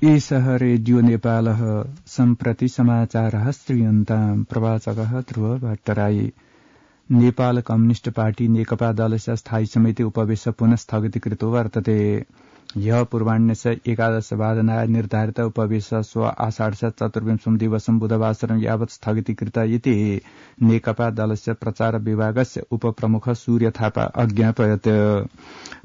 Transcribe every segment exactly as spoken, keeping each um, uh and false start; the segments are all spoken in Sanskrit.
एषः रेडियो नेपालः सम्प्रति समाचारः श्रूयन्ताम् प्रवाचकः ध्रुव भट्टराई। नेपाल कम्युनिष्ट पार्टी नेकपा दलस्य स्थायी समिति उपवेश पुनः स्थगितीकृतो वर्तते। ह्यः पूर्वाह्णे एकादशवादनाय निर्धारित उपवेश स्व आषाढ चतुर्विंशं दिवसं बुधवासरं यावत् स्थगितीकृत इति नेकपा दलस्य प्रचार विभागस्य उपप्रमुख सूर्य थापा अज्ञापयत्।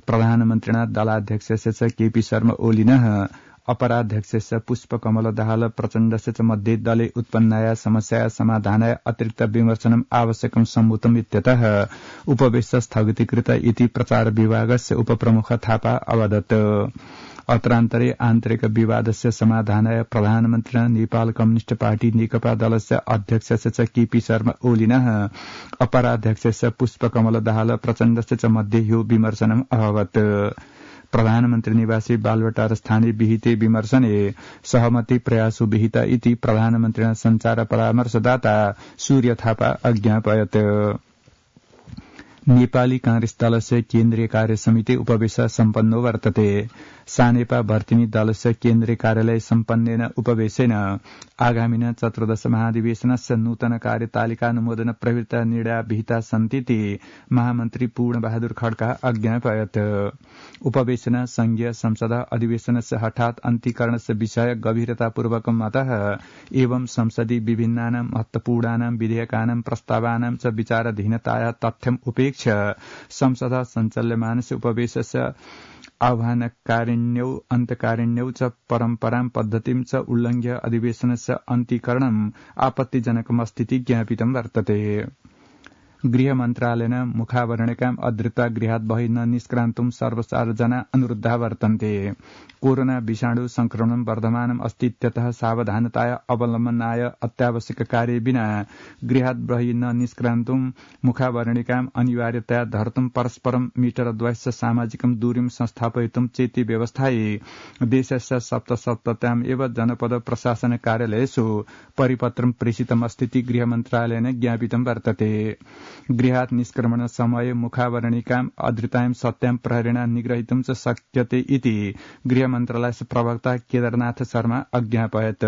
प्रधानमन्त्रिणा दलाध्यक्षस्य केपी शर्मा ओलिनः अपराध्यक्षस्य पुष्पकमल दाहाल प्रचण्डस्य च मध्ये दले उत्पन्नाया समस्याया समाधानाय अतिरिक्त विमर्शनम् आवश्यकं सम्भूतम् इत्यतः उपवेश स्थगितीकृत इति प्रचार विभागस्य उपप्रमुख थापा अवदत्। अत्रान्तरे आन्तरिक विवादस्य समाधानाय प्रधानमन्त्रिणा नेपाल कम्युनिष्ट पार्टी नेकपा दलस्य अध्यक्षस्य च केपी शर्मा ओलिनः अपराध्यक्षस्य पुष्पकमल दाहाल प्रचण्डस्य च मध्ये ह्यो विमर्शनम् अभवत्। प्रधानमन्त्री निवासी बालवाटार स्थाने विहिते विमर्शने सहमति प्रयासो विहिता इति प्रधानमन्त्रिणा संचार परामर्शदाता सूर्य थापा अज्ञापयत्। नेपाली कांग्रेस दलस्य केन्द्रीय कार्य समिति उपवेश सम्पन्नो वर्तते। सानेपा भर्तिनी दलस्य केन्द्रीय कार्यालय सम्पन्नेन उपवेशेन आगामिन चतुर्दश महाधिवेशनस्य नूतन कार्यतालिकानुमोदन प्रवृत्ता निर्णया विहिता सन्तीति महामन्त्री पूर्णबहादुर खड्का अज्ञापयत्। उपवेशन संघीय संसद अधिवेशनस्य हठात् अन्तीकरणस्य विषय गभीरतापूर्वकं मतः एवं संसदि विभिन्नानां महत्वपूर्णानां विधेयकानां प्रस्तावानां च विचाराधीनताया तथ्यम् उपेक्ष्य संसद सञ्चाल्यमानस्य उपवेशस्य आह्वानकारिण्यौ अन्तकारिण्यौ च परम्परां पद्धतिं च उल्लङ्घ्य अधिवेशनस्य अन्तीकरणम् आपत्तिजनकमस्तीति ज्ञापितं वर्तते। गृह मन्त्रालयेन मुखावरणिकाम् अधृत्वा गृहात् बहिः न निष्क्रान्तुं सर्वसारजना अनुरुद्धा वर्तन्ते। कोरोना विषाणु संक्रमणं वर्धमानम् अस्ति इत्यतः सावधानताया अवलम्बनाय अत्यावश्यक कार्य विना गृहात् बहिः न निष्क्रान्तुं मुखावरणिकाम् अनिवार्यतया धर्तुं परस्परं मीटरद्वयस्य सामाजिकं दूरीं संस्थापयितुं चेति व्यवस्थायै देशस्य सप्तसप्तत्याम् एव जनपद प्रशासन कार्यालयेषु परिपत्रं प्रेषितमस्तीति गृह मन्त्रालयेन ज्ञापितं वर्तते। गृहात् निष्क्रमण समये मुखावरणिकाम् अधृतायां सत्यां प्रहरेण निग्रहीतुं च शक्यते इति गृह मन्त्रालयस्य प्रवक्ता केदारनाथ शर्मा अज्ञापयत्।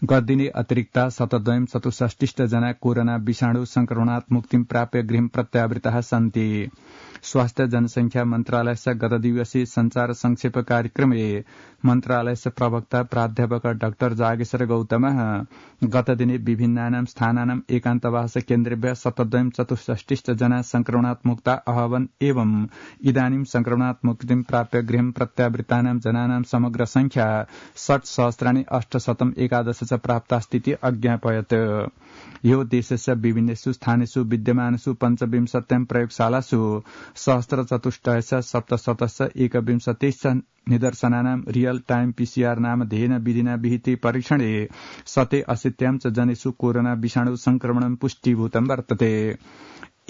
गतदिने अतिरिक्ता शतद्वयं चतुष्षष्टिष्ट जना कोरोना विषाणु संक्रमणात् मुक्तिं प्राप्य गृहं प्रत्यावृताः सन्ति। स्वास्थ्य जनसंख्या मन्त्रालयस्य गत दिवसीय संचार संक्षेप कार्यक्रमे मन्त्रालयस्य प्रवक्ता प्राध्यापक डाक्टर जागेश्वर गौतमः गतदिने विभिन्नानां स्थानानाम् एकान्तवास केन्द्रेभ्यः शतद्वयं चतुष्षष्टिष्ट जना संक्रमणात् मुक्ता अभवन् एवं इदानीं संक्रमणात् मुक्तिं प्राप्य गृहं प्रत्यावृतानां जनानां समग्र संख्या षट् सहस्राणि अष्टशतम् एकादश च प्राप्तास्तीति अज्ञापयत्। यो देशस्य विभिन्नेषु स्थानेषु विद्यमानेषु पञ्चविंशत्यां प्रयोगशालासु सहस्रचतुष्टयस्य सप्तशतस्य एकविंशतिश्च निदर्शनानां रियल टाइम पीसीआर नाम ध्येन विधिना विहिते परीक्षणे शते अशीत्यां च जनेषु कोरोना विषाणु संक्रमणं पुष्टीभूतं वर्तते।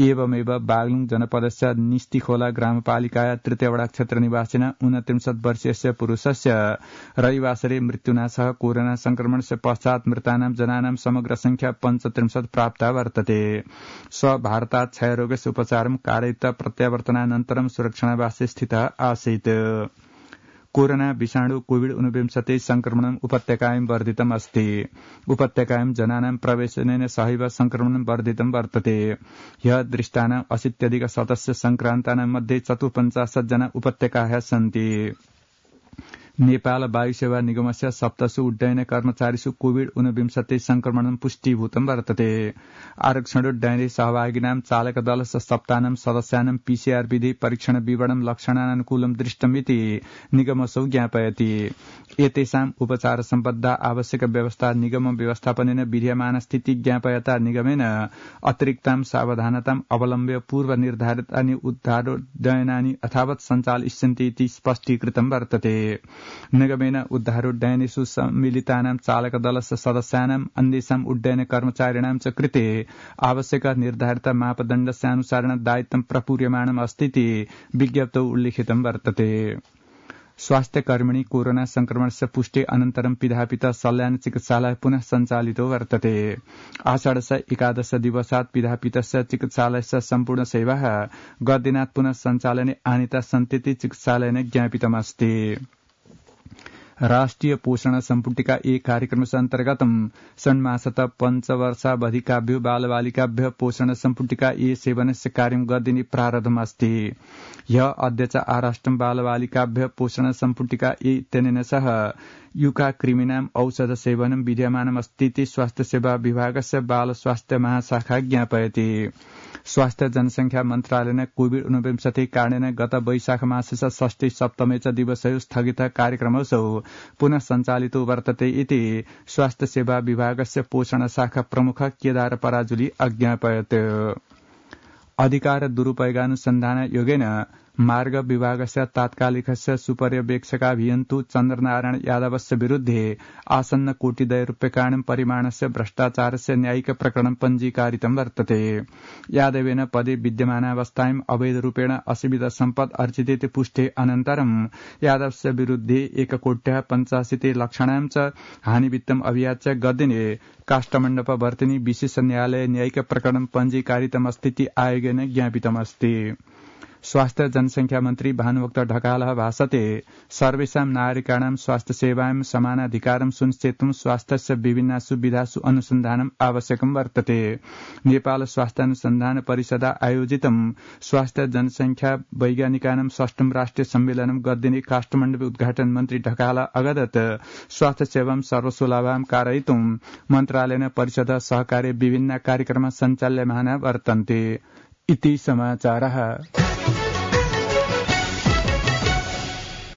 एवमेव बागलुङ जनपदस्य निस्तिखोला ग्रामपालिकाया तृतीयवडा क्षेत्र निवासिना ऊनत्रिंशत् वर्षीयस्य पुरुषस्य रविवासरे मृत्युना सह कोरोना संक्रमणस्य पश्चात् मृतानां जनानां समग्र संख्या पञ्चत्रिंशत् प्राप्ता वर्तते। स भारतात् क्षयरोगस्य उपचारं कारयित्वा प्रत्यावर्तनानन्तरं सुरक्षणावासे स्थितः आसीत्। कोरोना विषाणु कोविड ऊनविंशति संक्रमणम् उपत्यकायां वर्धितम् अस्ति। उपत्यकायां जनानां प्रवेशनेन सहैव संक्रमणं वर्धितं वर्तते। ह्यः दृष्टानाम् अशीत्यधिक शतस्य संक्रान्तानां मध्ये चतुःपञ्चाशत् जना उपत्यकाः सन्ति। नेपाल वायुसेवा निगमस्य सप्तसु उड्डयन कर्मचारीषु कोविड ऊनविंशति संक्रमणं पुष्टीभूतं वर्तते। आरक्षणोड्डयने सहभागिनां चालक दलस्य सप्तानां सदस्यानां पीसीआर विधि परीक्षण विवरणं लक्षणानुकूलं दृष्टमिति निगमसौ ज्ञापयति। एतेषाम् उपचार सम्बद्धा आवश्यक व्यवस्था निगम व्यवस्थापनेन विधीयमान स्थिति ज्ञापयता निगमेन अतिरिक्तां सावधानताम् अवलम्ब्य पूर्व निर्धारितानि उद्धारोड्डयनानि यथावत् सञ्चालयिष्यन्ति इति स्पष्टीकृतं वर्तते। निगमेन उद्धारोड्डयनेषु सम्मिलितानां चालक दलस्य सदस्यानाम् अन्येषाम् उड्डयन कर्मचारिणां च कृते आवश्यक निर्धारित मापदण्डस्य अनुसारेण दायित्वं प्रपूर्यमाणम् अस्तीति विज्ञप्तौ उल्लिखितं वर्तते। स्वास्थ्यकर्मिणी कोरोना संक्रमणस्य पुष्टि अनन्तरं पिधापिता सल्यान चिकित्सालय पुनः सञ्चालितो वर्तते। आषाढस्य एकादश दिवसात् पिधापितस्य चिकित्सालयस्य सम्पूर्ण सेवाः गतदिनात् पुनः सञ्चालने आनीता सन्तीति चिकित्सालयेन ज्ञापितमस्ति। राष्ट्रिय पोषण सम्पुटिका ए कार्यक्रमस्य अन्तर्गत षण्मासत पञ्चवर्षावधिकाभ्यो बालबालिकाभ्य पोषण सम्पुटिका ए सेवनस्य कार्यं गर्दिने प्रारब्धमस्ति। ह्य अध्यक्ष आराष्ट्रं बालबालिकाभ्य पोषण सम्पुटिका ए इत्यनेन सह युका क्रिमिनाम औषध सेवनं विद्यमानमस्तीति स्वास्थ्य सेवा विभागस्य बाल स्वास्थ्य महाशाखा ज्ञापयति। स्वास्थ्य जनसंख्या मन्त्रालयेन कोविड ऊनविंशति कारणेन गत वैशाख मासस्य षष्ठी सप्तमे च दिवसयो स्थगित कार्यक्रमसौ पुनः सञ्चालितो वर्तते इति स्वास्थ्य सेवा विभागस्य पोषण शाखा प्रमुख केदार पराजुली अज्ञापयत्। अधिकार दुरुपयोगानुसन्धान योगेन मार्ग विभागस्य तात्कालिकस्य सुपर्यवेक्षकाभियन्तु चन्द्रनारायण यादवस्य विरुद्धे आसन्न कोटिद्वय रूप्यकाणां परिमाणस्य भ्रष्टाचारस्य न्यायिक प्रकरणं पञ्जीकारितं वर्तते। यादवेन पदे विद्यमानावस्थायाम् अवैधरूपेण असीमित सम्पत् अर्जितेति पुष्टे अनन्तरं यादवस्य विरुद्धे एककोट्यः पञ्चाशीति लक्षाणां च हानिवित्तम् अभियाच्य गद्दिने काष्ठमण्डपवर्तिनी विशेष न्यायालय न्यायिक प्रकरणं पञ्जीकारितमस्तीति आयोगेन ज्ञापितमस्ति। स्वास्थ्य जनसंख्या मन्त्री भानुभक्त ढकालः भाषते सर्वेषां नागरिकाणां स्वास्थ्य सेवायां समानाधिकारं सुनिश्चेतुं स्वास्थ्यस्य विभिन्नासु विधासु अनुसन्धानम् आवश्यकं वर्तते। नेपाल स्वास्थ्यानुसन्धान परिषदा आयोजितं स्वास्थ्य जनसंख्या वैज्ञानिकानां षष्ठम राष्ट्रिय सम्मेलनं गद्दिने काष्ठमण्डपे उद्घाटन मन्त्री ढकाल अगदत् स्वास्थ्य सेवां सर्वसुलभां कारयितुं मन्त्रालयेन परिषदः सहकार्ये विभिन्न कार्यक्रमाः सञ्चाल्यमाना वर्तन्ते इति समाचारः।